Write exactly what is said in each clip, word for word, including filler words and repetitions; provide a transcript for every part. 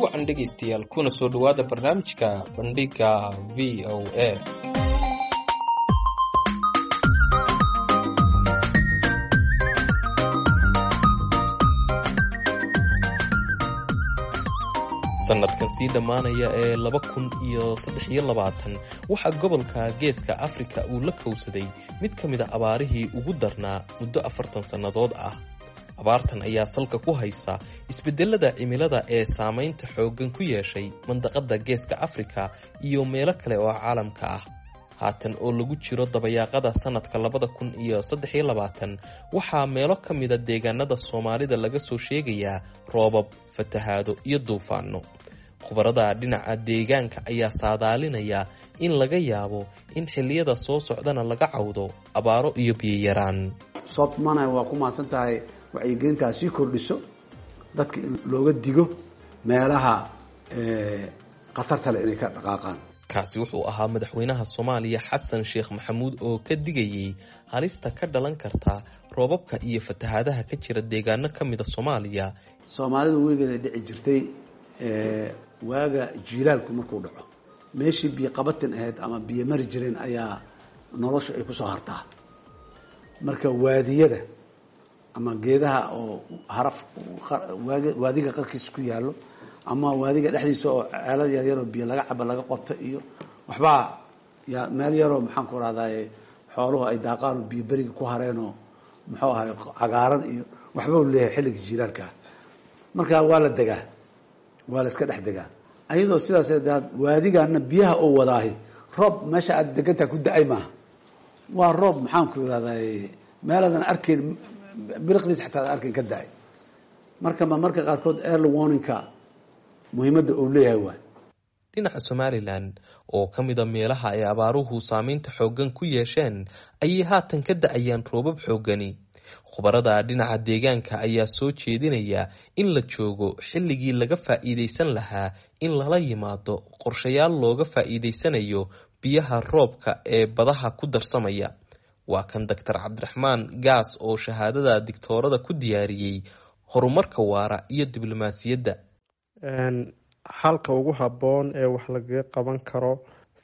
Wacan dhegaystayaal, kuna soo dhowaada barnaamijka Bandhiga V O A. Sanadkan sii dhammaanaya ee laba kun iyo saddex iyo labaatan waxaa gobolka Geeska Afrika uu la kowsaday mid ka mid a abaarihii ugu darnaa muddo afartan sannadood ah. Abaartan ayaa salka ku haysa isbedelada cimilada ee saamaynta xooggan ku yeeshay mandaqada Geeska Afrika iyo meelo kale oo caalamka ah. Haatan oo lagu jiro dabayaaqada sanadka labada kun iyo saddex iyo labaatan, waxaa meelo ka mida deegaanada Soomaalida laga soo sheegayaa roobab, fatahaado iyo duufaano. Khubarada dhinaca deegaanka ayaa saadaalinaya in laga yaabo in xilliyada soo socdana laga cawdo abaaro iyo biyo yaraan. Sodmana waa ku mahadsan tahay wacyigelintaa sii kordhiso dadka in looga digo meelaha khatarta leh inay ka dhaqaaqaan. Kaasi wuxuu ahaa madaxweynaha Soomaaliya Xasan Sheekh Maxamuud oo ka digayay halista ka dhalan karta roobabka iyo fatahaadaha ka jira deegaano ka mida Soomaaliya. Soomaalidu weligeeda dhici jirtay, waaga jiilaalku markuu dhaco, meeshii biyo qabatin ahayd ama biyo mari jireen ayaa nolosha ay kusoo hartaa. Marka waadiyada ama geedaha oo haraf waadiga qarkiisa ku yaallo ama waadiga dhexdiisa oo ceelal yaryaroo biyo laga cabo laga qoto iyo waxbaa yaa meel yaroo, maxaan ku rahdaye, xooluhu ay daaqaan oo biyo beriga ku hareenoo, muxuu ahay, cagaaran iyo waxba u leeyahay xilliga jiilaalkaa. Marka waa la degaa, waa la iska dhex degaa, ayadoo sidaas waadigaana biyaha oo wadaahi roob meesha aad degantaha ku da-ay maaha. Waa roob, maxaan ku irahdaye, meelaadan arkayn biriqdiis xataa ad arkayn ka da-ay. Marka ma marka qaarkood early warningka muhiimadda uu leeyahay waay. Dhinaca Somalilan oo ka mida meelaha ay abaaruhu saameynta xooggan ku yeesheen ayay haatan ka da-ayaan roobab xooggani. Khubarada dhinaca deegaanka ayaa soo jeedinaya in la joogo xilligii laga faa'iidaysan lahaa in lala yimaado qorshayaal looga faa'iidaysanayo biyaha roobka ee badaha ku darsamaya. Waa kan Doctor Cabdiraxmaan Gaas oo shahaadada digtoorada ku diyaariyey horumarka waara iyo diblomaasiyadda. Xalka ugu habboon ee wax lagaga qaban karo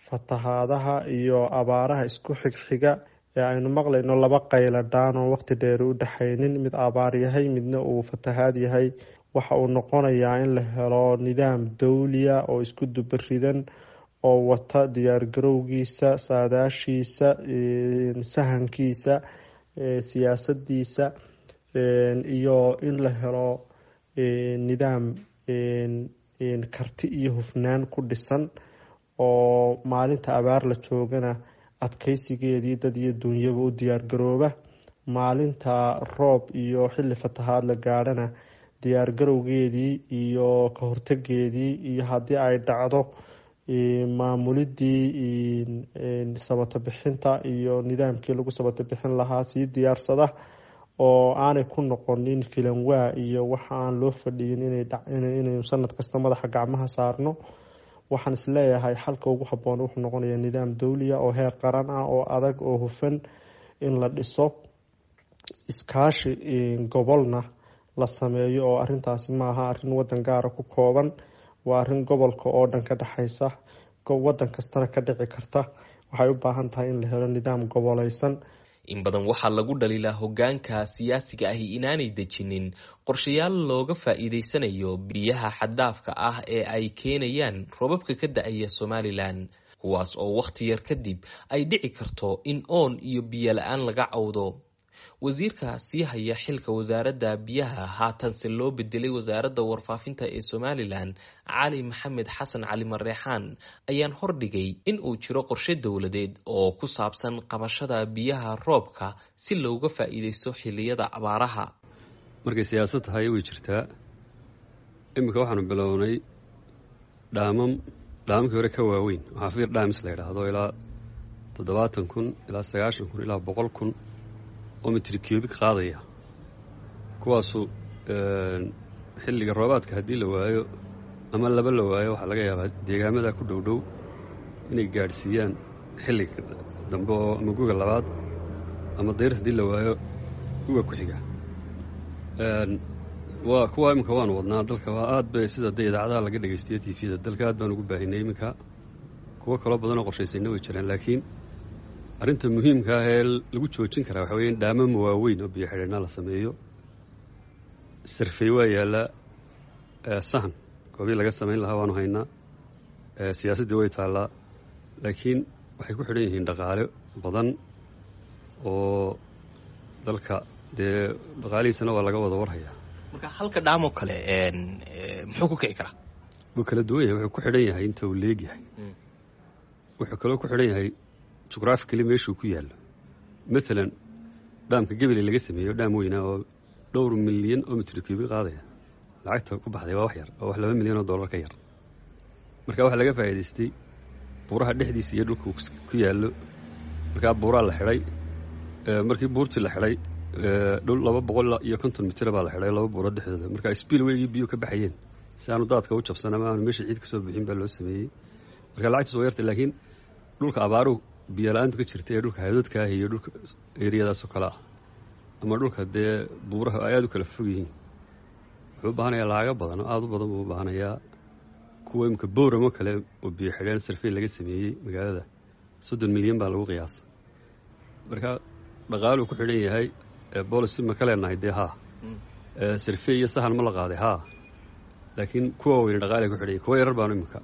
fatahaadaha iyo abaaraha isku xigxiga ee aynu maqlayno, laba qayla dhaan oo waqti dheeri u dhexaynin, mid abaar yahay midna uu fatahaad yahay, waxa uu noqonayaa in la helo nidaam dawliya oo isku dubaridan oo wata diyaargarowgiisa, saadaashiisa, sahankiisa, siyaasadiisa, iyo in la helo nidaam karti iyo hufnaan ku dhisan oo maalinta abaar la joogana adkeysigeedii dad iyo duunyaba u diyaargarooba, maalinta roob iyo xilli fatahaad la gaadhana diyaargarowgeedii iyo ka hortageedii, iyo haddii ay dhacdo maamulidii sabato bixinta iyo nidaamkii lagu sabato bixin lahaa sii diyaarsada, oo aanay ku noqonin filanwaa iyo waxa aan loo fadhiyin inaynu sanad kasta madaxa gacmaha saarno. Waxaan isleeyahay xalka ugu habboon wuxuu noqonayaa nidaam dawliya oo heer qaran ah oo adag oo hufan in la dhiso, iskaashi gobolna la sameeyo, oo arintaasi maaha arrin wadan gaara ku kooban, waa arrin gobolka oo dhan ka dhexaysa, wadan kastana ka dhici karta. Waxay u baahan tahay in la helo nidaam goboleysan. In badan waxaa lagu dhaliilaa hoggaanka siyaasiga ahi inaanay dejinin qorshayaal looga faa'iidaysanayo biyaha xaddaafka ah ee ay keenayaan roobabka ka da-aya Somalilan, kuwaas oo wakhti yar kadib ay dhici karto in oon iyo biyo la-aan laga cawdo. Wasiirka sii haya xilka wasaaradda biyaha, haatanse loo bedelay wasaaradda warfaafinta ee Somalilan, Cali Maxamed Xasan Cali Mareexaan, ayaan hordhigay in uu jiro qorshe dowladeed oo ku saabsan qabashada biyaha roobka si looga faa'iidaysto xilliyada abaaraha. Markay siyaasad tahay way jirtaa. Iminka waxaanu bilownay dhaamam dhaamamkii hore ka waaweyn, waxaa feeder dams la yidhaahdo, ilaa toddobaatan kun ilaa sagaashan kun ilaa boqol kun oo mitri cubic qaadaya, kuwaasu xilliga roobaadka haddii la waayo ama laba la waayo, waxaa laga yaabaa deegaamada ku dhow dhow inay gaadhsiiyaan xilliga dambe oo ama guga labaad ama dayr haddii la waayo guga ku xiga. Waa kuwa iminka waanu wadnaa dalka, waa aad bay sida dee idaacadaha laga dhegeystiyo T V-da dalka aad baan ugu baahinay. Iminka kuwo kaloo badanoo qorshaysayna way jiraan, laakiin arrinta muhiimka ah ee lagu joojin karaa waxa weya in dhaamama waaweyn oo biyo xidheennaa la sameeyo. Survey waa yaallaa, sahan goobii laga samayn lahaa waanu haynaa, siyaasaddii way taallaa, laakiin waxay ku xidhan yihiin dhaqaale badan oo dalka dee dhaqaalihiisana waa laga wada warhayaa. Marka halka dhaamoo kale muxuu ku kici karaa? Wuu kala duwan yahay. Wuxuu ku xidhan yahay inta uu leeg yahay, wuxuu kaloo ku xidhan yahay geographically meeshuu ku yaallo. Maalan dhaamka Gebele laga sameeyo, dhaam weynaa oo dhowr milyan oo mitr cubic qaadaya, lacagta ku baxday waa wax yar oo wax laba milyan oo dollar ka yar. Marka waxaa laga faa'iidaystay buuraha dhexdiisa iyo dhulka ku yaallo. Markaa buuraa la xidhay. Markii buurtii la xidhay, dhul laba boqol iyo konton mitir baa la xidhay laba buurood dhexdooda. Marka spillway-gii biyuhu ka baxayeen si aanu daadka u jabsan ama aanu meesha ciid ka soo bixin baa loo sameeyey. Marka lacagtiis waa yartay, laakiin dhulka abaaruhu biyo la-aantu ka jirta ee dhulka hadoodka ah iyo dhulka eriyadaasoo kale ah ama dhulka dee buuraha ay aada u kala fog yihiin, wuxuu u baahanayaa lacago badan oo aada u badan buu u baahanayaa. Kuwa imika Booramo kale oo biyo xidheen survey laga sameeyey magaalada, soddon milyan baa lagu qiyaasay. Marka dhaqaaluu ku xidhan yahay. Policy ma ka leenahay? Dee haa. Survey iyo sahan ma la qaaday? Haa. Laakiin kuwa weyne dhaqaalay ku xidhan yahay. Kuwa yarar baanu imika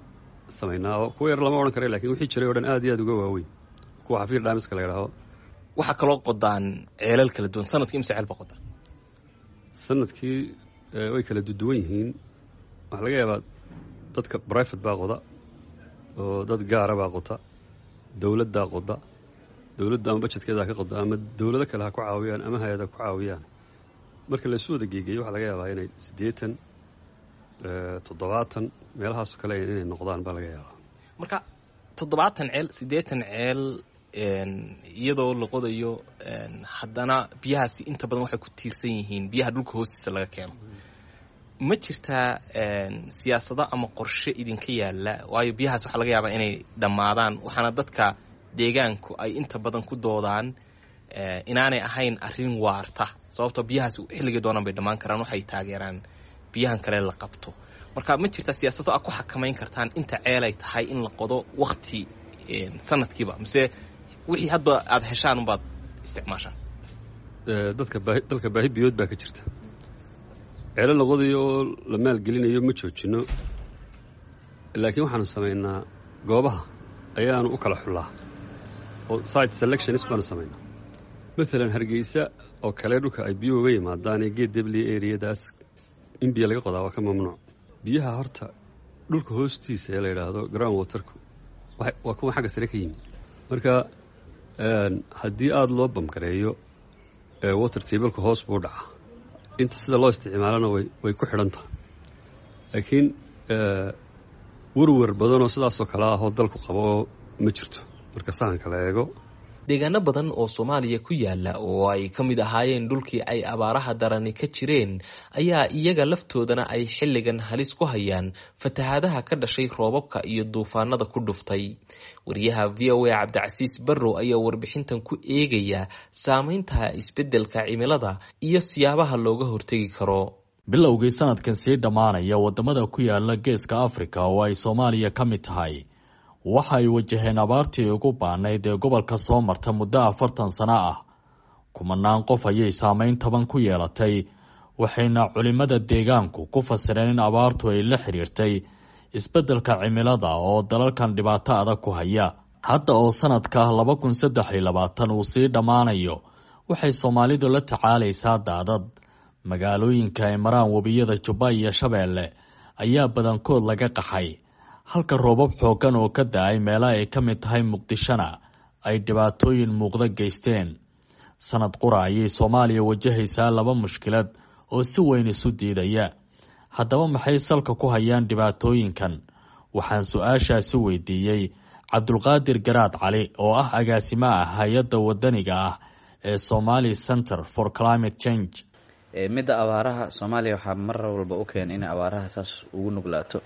samaynaa, oo kuwa yarar lama odhan kara, lakin wixii jiray o dhan aad iyo aad uga waaweyn, kuwa xafiir dams-ka la yidhaaho. Waxaa kaloo qodaan ceelal kala duwan. Sanadkii imse ceel ba qodaan? Sanadkii way kala duduwan yihiin. Waxaa laga yaabaa dadka private baa qoda oo dad gaara baa qota, dowladdaa qoda, dowladda ama budget-keeda ka qoda ama dowlado kale ha ku caawiyaan ama hay-ada ku caawiyaan. Marka laysu wada geegeeyo, waxaa laga yaabaa inay siddeetan, toddobaatan meelahaasoo kale inay noqdaan baa laga yaabaa. Marka toddobaatan ceel, siddeetan ceel iyadoo la qodayo, haddana biyahaasi inta badan waxay ku tiirsan yihiin biyaha dhulka hoostiisa laga keeno. Ma jirtaa siyaasado ama qorshe idinka yaalla? Waayo biyahaas waxaa laga yaabaa inay dhammaadaan, waxaana dadka deegaanku ay inta badan ku doodaan inaanay ahayn arrin waarta, sababtoo biyahaas xilligii doonaan bay dhammaan karaan. Waxay taageeraan biyahan kale la qabto. Marka ma jirtaa siyaasado aad ku xakamayn kartaan inta ceelay tahay in la qodo wakti sanadkiiba, mise wixii hadba aada heshaan unbaad isticmaashaan? Dadka baahi, dalka baahi biyood baa ka jirta. Ceelo la qodayo oo la maalgelinayo ma joojino, laakiin waxaanu samaynaa goobaha ayaanu u kala xullaa oo site selections baanu samaynaa. Maalan Hargeysa oo kale, dhulka ay biyuhu uga yimaadaan ee Geed Debliya eriyadaas, in biyo laga qodaa waa ka mamnuuc. Biyaha horta dhulka hoostiisa ee la yidhaahdo ground water-ku waa kuwa xagga sare ka yimid. Marka haddii aada loo bamgareeyo, water table-ka hoos buu dhacaa. Inta sida loo isticmaalana way way ku xidhan tahay, laakiin warwar badanoo sidaasoo kale ah oo dalku qabo oo ma jirto marka sahanka la eego. Deegaano badan oo Soomaaliya ku yaala oo ay ka mid ahaayeen dhulkii ay abaaraha darani ka jireen ayaa iyaga laftoodana ay xilligan halis ku hayaan fatahaadaha ka dhashay roobabka iyo duufaanada ku dhuftay. Wariyaha V O A Cabdicasiis Barrow ayaa warbixintan ku eegaya saameynta isbeddelka cimilada iyo siyaabaha looga hortegi karo. Bilowgii sanadkan sii dhammaanaya, wadamada ku yaala Geeska Afrika oo ay Soomaaliya ka mid tahay waxa ay wajaheen abaartii ugu baanayd ee gobolka soo marta muddo afartan sano ah. Kumanaan qof ayay saameyn taban ku yeelatay, waxayna culimada deegaanku ku fasireen in abaartu ay la xiriirtay isbeddelka cimilada oo dalalkan dhibaato adag ku haya. Hadda oo sanadka laba kun saddex iyo labaatan uu sii dhammaanayo, waxay Soomaalidu la tacaalaysaa daadad. Magaalooyinka ay maraan webiyada Jubba iyo Shabeelle ayaa badankood laga qaxay, halka roobab xooggan oo ka da-ay meelaha ay ka mid tahay Muqdishona ay dhibaatooyin muuqda geysteen. Sanad qura ayay Soomaaliya wajahaysaa laba mushkilad oo si weyn isu diidaya. Haddaba maxay salka ku hayaan dhibaatooyinkan? Waxaan su-aashaasi weydiiyey Cabdulqaadir Garaad Cali oo ah agaasimo ah hay-adda wadaniga ah ee Somali Center for Climate Change. Midda abaaraha, Soomaaliya waxaa mar walba u keena inay abaaraha saas ugu nuglaato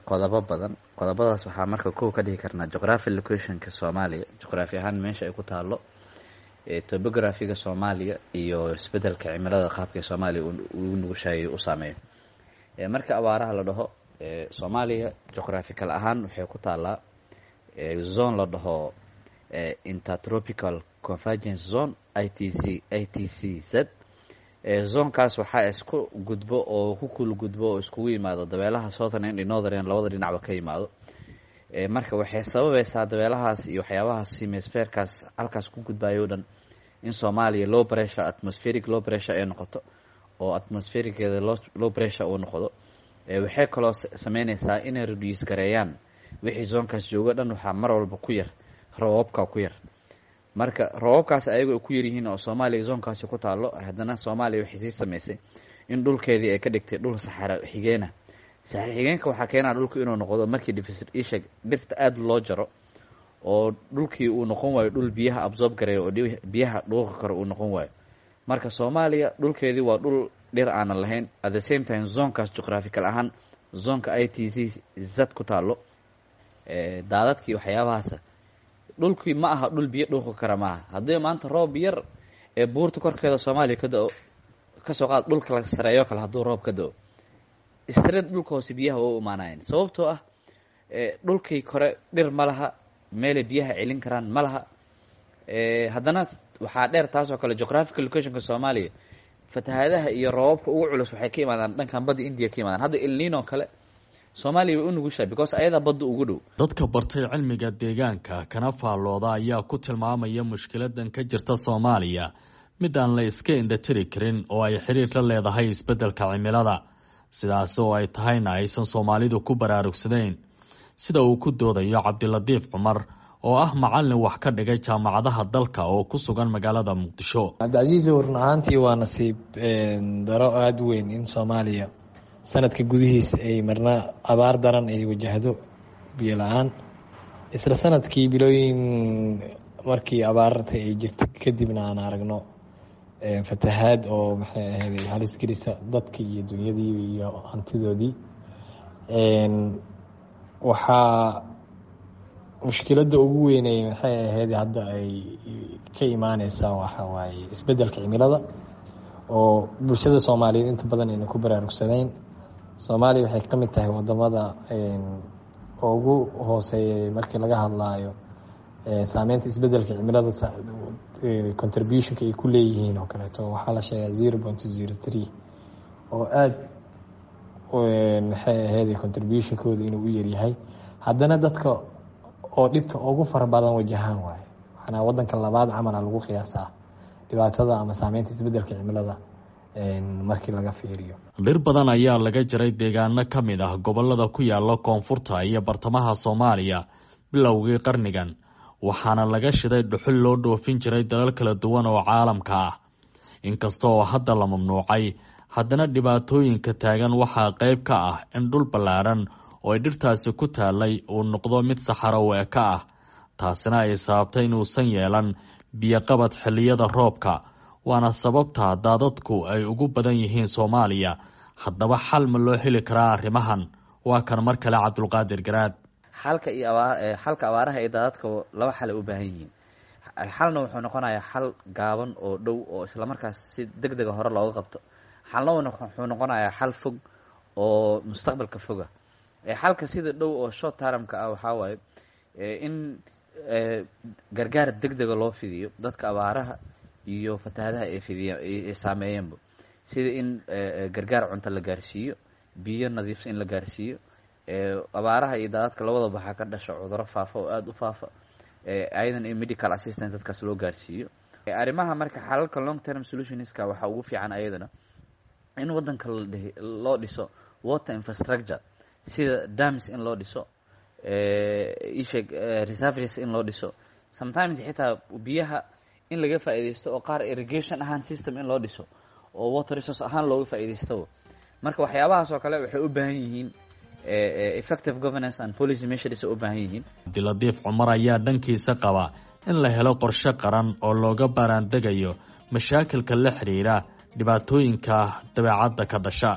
qodobo badan. Qodobadaas waxaa marka kow ka dhihi karnaa geography location-ka Soomaaliya, juqraafi ahaan meesha ay ku taalo. Topographyga Soomaaliya iyo isbedelka cimilada qaabka Soomaaliya ugu nugushahay u saameeyo. Marka abaaraha la dhaho, Soomaaliya geographical ahaan waxay ku taalaa zone la dhaho Intertropical Convergence Zone, I T C I T C Z. Zonekaas waxaa isku gudbo oo ku kula gudbo oo iskugu yimaado dabeelaha southern and northern, labada dhinacba ka yimaado. Marka waxay sababaysaa dabeelahaas iyo waxyaabahaas hemispherekaas halkaas ku gudbayo o dhan in Soomaaliya low pressure, atmospheric low pressure ay noqoto, oo atmosphericeeda low low pressure uu noqdo. Waxay kaloo sameyneysaa inay reduce gareeyaan wixii zonekaas joogo dhan. Waxaa mar walba ku yar roobabka ku yar. Marka roobabkaas ayaga ay ku yaryihiin oo Soomaaliya zonekaasi ku taalo, haddana Soomaaliya waxay sii sameysay in dhulkeedii ay ka dhigtay dhul saxara xigeena. Saxara xigeenka waxaa keenaa dhulku inuu noqdo markii isheg dhirta aada loo jaro oo dhulkii uu noqon waayo dhul biyaha absorb gareeyo oo biyaha dhuuqi karo uu noqon waayo. Marka Soomaaliya dhulkeedii waa dhul dhir aanan lahayn, at the same time zonekaas geographical ahaan zoneka I T C Z ku taalo. Daadadkii waxyaabahaas, dhulkii ma aha dhul biyo dhuuqi kara maaha. Haddii maanta roob yar ee buurta korkeeda Soomaaliya ka da-o, kasoo qaad dhulka la sareeyo kale, hadduu roob ka da-o, straight dhulka hoose biyaha waa u imaanayeen, sababtoo ah dhulkii kore dhir ma laha, meelay biyaha celin karaan ma laha. Haddana waxaa dheer taasoo kale geographical locationka Soomaaliya, fatahaadaha iyo roobabka ugu culus waxay ka imaadaan dhankan badda India ka imaadaan. Hadda El Nino kale Soomaaliya way u nugushahay because ayadaa badda ugu dhow. Dadka bartay cilmiga deegaanka kana faallooda ayaa ku tilmaamaya mushkiladan ka jirta Soomaaliya mid aan la iska indhatiri karin oo ay xiriir la leedahay isbeddelka cimilada, sidaas oo ay tahayna aysan Soomaalidu ku baraarugsanayn, sida uu ku doodayo Cabdilatiif Cumar oo ah macallin wax ka dhigay jaamacadaha dalka oo ku sugan magaalada Muqdisho. Cabdicasiis, run ahaantii waa nasiib daro aada u weyn in Soomaaliya sanadka gudihiisa ay marna abaar daran ay wajahdo, biyo la-aan, isla sanadkii bilooyin markii abaarta ay jirta kadibna aan aragno fatahaad oo maxay ahayd halis gelisa dadka iyo dunyadii iyo hantidoodii. Waxaa mushkiladda ugu weynay maxay ahayd hadda ay ka imaaneysaa waxa waaye isbeddelka cimilada oo bulshada Soomaaliyeed inta badan ayna ku baraarugsanayn. Soomaaliya waxay ka mid tahay wadamada ugu hooseeya markii laga hadlaayo saameynta isbeddelka cimilada, contributionka ay ku leeyihiin oo kaleeto. Waxaa la sheegaa zero point zero three oo aada maxay ahayd contributionkooda inuu u yaryahay, haddana dadka oo dhibta ugu fara badan wajahaan waaye. Waxaana wadanka labaad camala lagu qiyaasaa dhibaatada ama saameynta isbeddelka cimilada markii laga fiiriyo. Dhir badan ayaa laga jaray deegaano ka mid ah gobolada ku yaala koonfurta iyo bartamaha Soomaaliya bilowgii qarnigan, waxaana laga shiday dhuxul loo dhoofin jiray dalal kala duwan oo caalamka ah. Inkasta oo hadda la mamnuucay, haddana dhibaatooyinka taagan waxaa qayb ka ah in dhul ballaaran oo ay dhirtaasi ku taalay uu noqdo mid saxaro weeka ah, taasina ay sababtay inuusan yeelan biyoqabad xilliyada roobka, waana sababta daadadku ay ugu badan yihiin Soomaaliya. Haddaba xal ma loo heli karaa arrimahan? Waa kan mar kale Cabdulqaadir Garaad. Xalka iyo abaa xalka abaaraha iyo daadadka laba xal ay u baahan yihiin. Xalna wuxuu noqonayaa xal gaaban oo dhow oo islamarkaas si deg dega hore looga qabto, xalna wuxuu noqonayaa xal fog oo mustaqbalka foga. Xalka sida dhow oo short termka ah waxaa waaye in gargaar deg dega loo fidiyo dadka abaaraha iyo fatahaadaha ay fidiya ay saameeyeenba, sida in gargaar cunto la gaarsiiyo, biyo nadiifsan in la gaarsiiyo. Abaaraha iyo daadadka labadaba waxaa ka dhasha cuduro faafa oo aada u faafa, ayadan in medical assistance dadkaas loo gaarsiiyo. Arrimaha marka xalalka long term solutionska waxaa ugu fiican ayadana in waddanka loo dhiso water infrastructure, sida dams in loo dhiso, isheeg reservoirs in loo dhiso, sometimes xitaa biyaha in laga faa'iidaysto oo qaar irrigation ahaan system in loo dhiso oo water resource ahaan looga faa'iidaysto. Marka waxyaabahaas oo kale waxay u baahan yihiin effective governance and policy measures u baahan yihiin. Cabdilatiif Cumar ayaa dhankiisa qaba in la helo qorshe qaran oo looga baaraandegayo mashaakilka la xiriira dhibaatooyinka dabeecadda ka dhasha.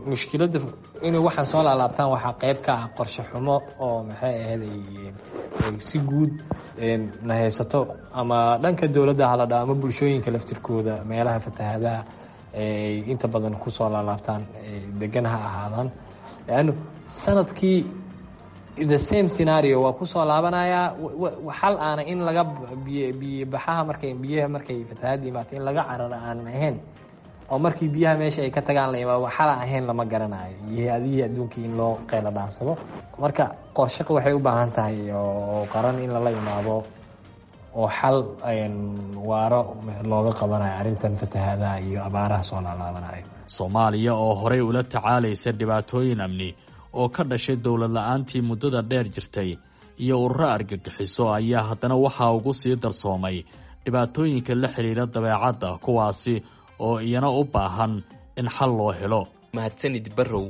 Mushkiladda inuu waxaan soo laalaabtaan waxaa qeyb ka ah qorshe xumo oo maxay ahayd si guud na haysato, ama dhanka dowladda hala dha ama bulshooyinka laftirkooda meelaha fatahaadaha ay inta badan kusoo laalaabtaan degan ha ahaadaan, leannu sanadkii the same scenario waa kusoo laabanayaa. Xal aana in laga biy biyo baxaha markay biyaha markay fatahaada imaato in laga cararo aanan ahayn, oo markii biyaha meesha ay ka tagaan la imaado, xala ahayn lama garanayo, iyo hay-adihii adduunkii in loo qeylo dhaansado. Marka qorshaqa waxay u baahan tahay oo qaran in lala imaado oo xal waaro looga qabanayo arrintan fatahaadaha iyo abaaraha soo laalaabanayo. Soomaaliya oo horey ula tacaalaysa dhibaatooyin amni oo ka dhashay dowlad la-aantii muddada dheer jirtay iyo ururo argagixiso ayaa haddana waxaa ugu sii darsoomay dhibaatooyinka la xiriira dabeecadda, kuwaasi oo iyana u baahan in xal loo helo. Mahadsanid Barrow.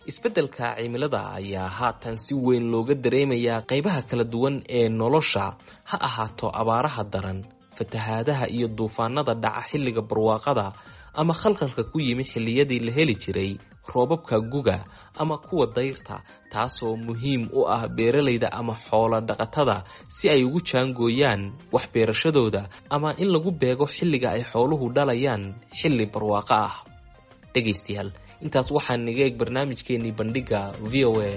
Isbeddelka cimilada ayaa haatan si weyn looga dareemayaa qaybaha kala duwan ee nolosha, ha ahaato abaaraha daran, fatahaadaha iyo duufaanada dhaca xilliga barwaaqada, ama khalkhalka ku yimi xilliyadii la heli jiray roobabka guga ama kuwa dayrta, taasoo muhiim u ah beeralayda ama xoolo dhaqatada si ay ugu jaangooyaan wax beerashadooda ama in lagu beego xilliga ay xooluhu dhalayaan xilli barwaaqo ah. Dhegaystayaal, intaas waxaa naga eeg barnaamijkeenii bandhigga V O A.